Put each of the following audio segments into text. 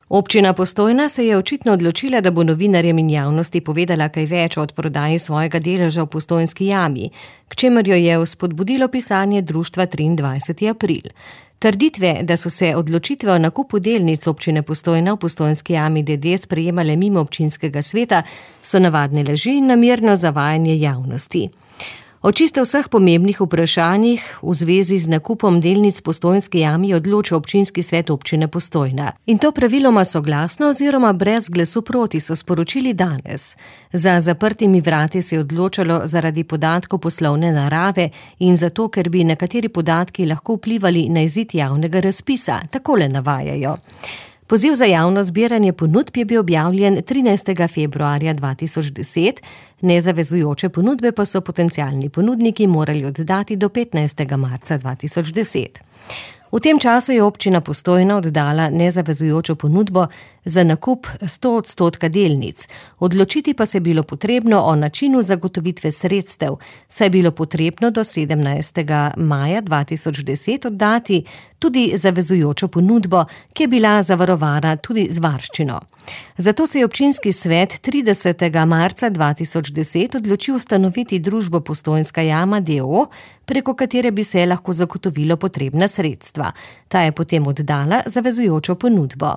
Občina Postojna se je očitno odločila, da bo novinarjem in javnosti povedala kaj več o odprodaji svojega deleža v Postojnski jami, k čemer jo je vzpodbudilo pisanje društva 23. april. Trditve, da so se odločitve o nakupu delnic občine Postojna v Postojnski jami d.d. sprejemale mimo občinskega sveta, so navadne laži in namerno zavajanje javnosti. O čisto vseh pomembnih vprašanjih v zvezi z nakupom delnic Postojnski jami odloča občinski svet občine Postojna. In to praviloma soglasno oziroma brez glasu proti, so sporočili danes. Za zaprtimi vrati se je odločalo zaradi podatkov poslovne narave in zato, ker bi nekateri podatki lahko vplivali na izid javnega razpisa, takole navajajo. Poziv za javno zbiranje ponudb je bil objavljen 13. februarja 2010, nezavezujoče ponudbe pa so potencialni ponudniki morali oddati do 15. marca 2010. V tem času je občina Postojna oddala nezavezujočo ponudbo za nakup 100% delnic. Odločiti pa se je bilo potrebno o načinu zagotovitve sredstev, saj je bilo potrebno do 17. maja 2010 oddati tudi zavezujočo ponudbo, ki je bila zavarovana tudi z varščino. Zato se je občinski svet 30. marca 2010 odločil ustanoviti družbo Postojnska jama d.o., preko katere bi se lahko zagotovilo potrebna sredstva. Ta je potem oddala zavezujočo ponudbo.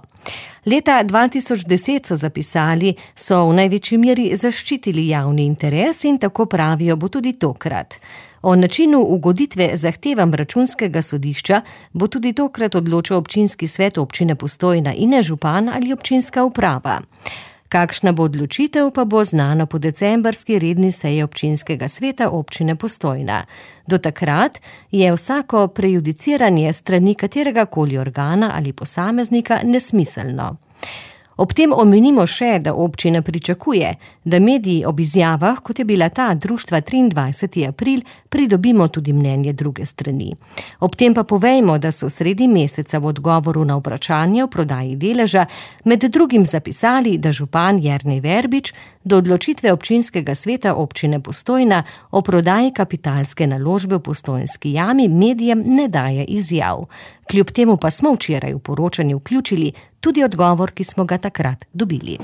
Leta 2010 so zapisali, so v največji meri zaščitili javni interes in tako pravijo bo tudi tokrat. O načinu ugoditve zahtevam računskega sodišča bo tudi tokrat odločil občinski svet občine Postojna in ne župan ali občinska uprava. Kakšna bo odločitev, pa bo znano po decembrski redni seji občinskega sveta občine Postojna. Do takrat je vsako prejudiciranje strani katerega koli organa ali posameznika nesmiselno. Ob tem omenimo še, da občina pričakuje, da mediji ob izjavah, kot je bila ta društva 23. april, pridobimo tudi mnenje druge strani. Ob tem pa povejmo, da so sredi meseca v odgovoru na vprašanje o prodaji deleža med drugim zapisali, da župan Jernej Verbič do odločitve občinskega sveta občine Postojna o prodaji kapitalske naložbe v Postojnski jami medijem ne daje izjav. Kljub temu pa smo včeraj v poročanje vključili tudi odgovor, ki smo ga takrat dobili.